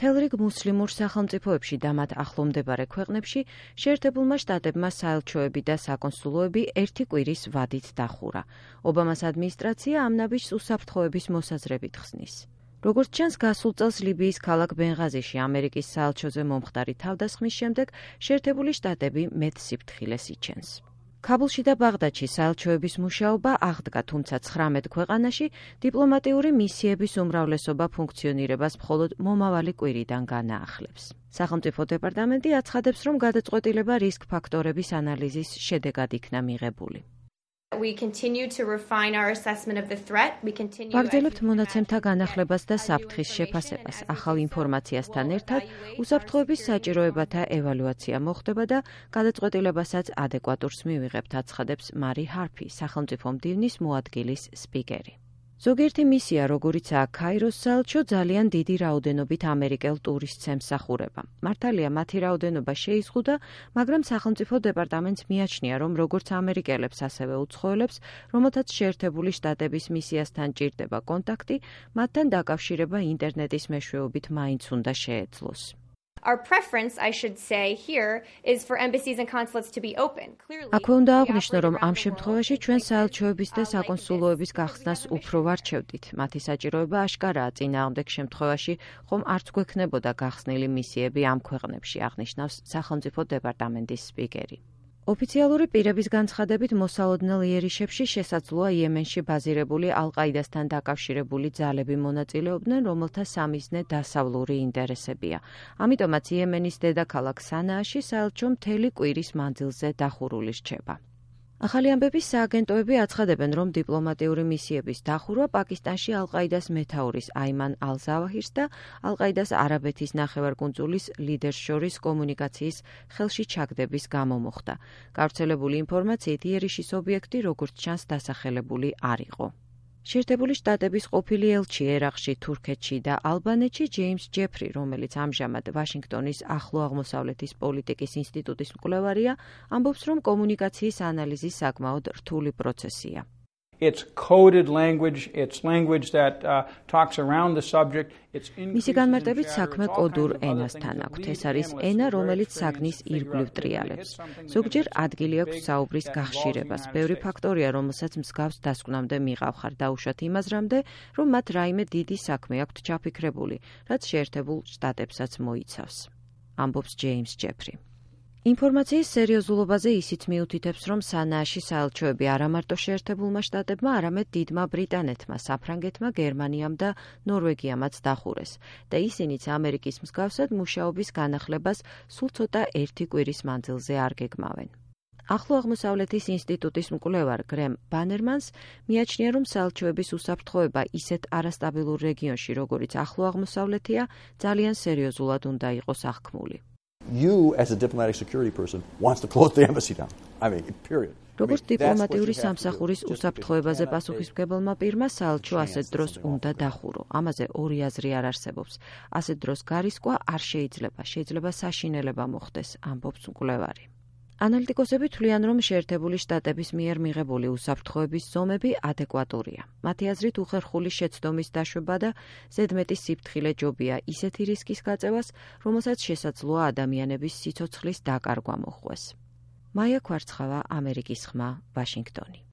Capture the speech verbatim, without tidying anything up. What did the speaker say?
მთელ რიგ მუსლიმურ სახელმწიფოებში და მათ ახლომდებარე ქვეყნებში შეერთებულმა შტატებმა საელჩოები და საკონსულოები ერთი კვირის ვადით დახურა. ობამას ადმინისტრაცია ამ ნაბიჯს უსაფრთხოების მოსაზრებით ხსნის. როგორც ჩანს, გასულ წელს ლიბიის ქალაქ ბენღაზიში ამერიკის საელჩოზე მომხდარი თავდასხმის შემდეგ შეერთებული შტატები მეტ სიფრთხილეს იჩენს. ქაბულში და ბაღდადში საელჩოების მუშაობა აღდგა, თუმცა ცხრამეტ ქვეყანაში დიპლომატიური მისიების უმრავლესობა ფუნქციონირებას მხოლოდ მომავალი კვირიდან განაახლებს. სახელმწიფო დეპარტამენტი აცხადებს, რომ გადაწყვეტილება რისკ ფაქტორების ანალიზის შედეგად იქნა მიღებული. ვაგრძელებთ მონაცემთა განახლებას და საფრთხის შეფასებას. ახალ ინფორმაციასთან ერთად უსაფრთხოების საჭიროებათა ევალუაცია მოხდება და გადაწყვეტილებასაც ადეკვატურს მივიღებთ, აცხადებს მარი ჰარფი, სახელმწიფო მდივნის მოადგილის სპიკერი. ზოგიერთი მისია, როგორიცაა ქაიროს საელჩო, ძალიან დიდი რაოდენობით ამერიკელ ტურისტს ემსახურება. მართალია, მათი რაოდენობა შეიზღუდა, მაგრამ სახელმწიფო დეპარტამენტს მიაჩნია, რომ როგორც ამერიკელებს, ასევე უცხოელებს, რომელთაც შეერთებული შტატების მისიასთან ჭირდება კონტაქტი, მათთან დაკავშირება ინტერნეტის მეშვეობით მაინც უნდა შეეძლოს. Our preference, I should say, here is for embassies and consulates to be open. Clearly, აქვე უნდა აღვნიშნო, რომ ამ შემთხვევაში ჩვენ საელჩოების და საკონსულოების გახსნას უფრო ვარჩევდით. მათი საჭიროება აშკარაა, წინააღმდეგ შემთხვევაში ხომ არც გვექნებოდა გახსნილი მისიები ამ ქვეყნებში, აღნიშნავს სახელმწიფო დეპარტამენტის სპიკერი. ოფიციალური პირების განცხადებით, მოსალოდნელ იერიშებში შესაძლოა იემენში ბაზირებული ალ-ყაიდასთან დაკავშირებული ძალები მონაწილეობდნენ, რომელთა სამიზნე დასავლური ინტერესებია. ამიტომაც იემენის დედაქალაქ სანააში საელჩო მთელი კვირის მანძილზე დახურული რჩება. ახალი ამბების სააგენტოები აცხადებენ, რომ დიპლომატიური მისიების დახურვა პაკისტანში ალ-ყაიდას მეთაურის აიმან ალ-ზავაჰირს და ალ-ყაიდას არაბეთის ნახევარკუნძულის ლიდერს შორის კომუნიკაციის ხელში ჩაგდების გამო მოხდა. გავრცელებული ინფორმაციით, იერიშის ობიექტი, როგორც ჩანს, დასახელებული არ იყო. შეერთებული შტატების ყოფილი ელჩი ერაყში, თურქეთში და ალბანეთში ჯეიმს ჯეფრი, რომელიც ამჟამად ვაშინგტონის ახლო აღმოსავლეთის პოლიტიკის ინსტიტუტის მკვლევარია, ამბობს, რომ კომუნიკაციის ანალიზი საკმაოდ რთული პროცესია. It's coded language, it's language that uh, talks around the subject. მისი განმარტებით საქმე კოდურ ენასთან აქვთ. ეს არის ენა, რომელიც საგნის ირგვლივ ტრიალებს. ზოგჯერ ადგილი აქვს საუბრის გახშირებას. ბევრი ფაქტორია, რომელსაც მსგავს დასკვნამდე მიყავხარ, დაუშვათ იმაზრამდე, რომ მათ რაიმე დიდი საქმე აქვთ ჩაფიქრებული, რაც შეერთებულ შტატებსაც მოიცავს. ამბობს ჯეიმს ჯეფრი. ინფორმაციის სერიოზულობაზე ისიც მიუთითებს, რომ სანააში საელჩოები არა მარტო შეერთებულმა შტატებმა, არამედ დიდმა ბრიტანეთმა, საფრანგეთმა, გერმანიამ და ნორვეგიამაც დახურეს და ისინიც ამერიკის მსგავსად მუშაობის განახლებას სულ ცოტა ერთი კვირის მანძილზე არ გეგმავენ. ახლო აღმოსავლეთის ინსტიტუტის მკვლევარ გრემ ბანერმანს მიაჩნია, რომ საელჩოების უსაფრთხოება ისეთ არასტაბილურ რეგიონში, როგორიც ახლო აღმოსავლეთია, ძალიან სერიოზულად უნდა იყოს აღქმული. You, as a diplomatic security person, wants to close the embassy down. I mean, period. როგორც დიპლომატიური სამსახურის უსაფრთხოებაზე პასუხისმგებელმა პირმა საელჩო ასეთ დროს უნდა დახურო. ამაზე ორი აზრი არ არსებობს. ასეთ დროს გარისკვა არ შეიძლება, შეიძლება საშინელება მოხდეს, ამბობს მკვლევარი. ანალიტიკოსები თვლიან, რომ შეერთებული შტატების მიერ მიღებული უსაფრთხოების ზომები ადეკვატურია. მათი აზრით, უხერხული შეცდომის დაშვება და ზედმეტი სიფრთხილე ჯობია ისეთი რისკის გაწევას, რომელსაც შესაძლოა ადამიანების სიცოცხლის დაკარგვა მოჰყვეს. მაია ქვარცხავა, ამერიკის ხმა, ვაშინგტონი.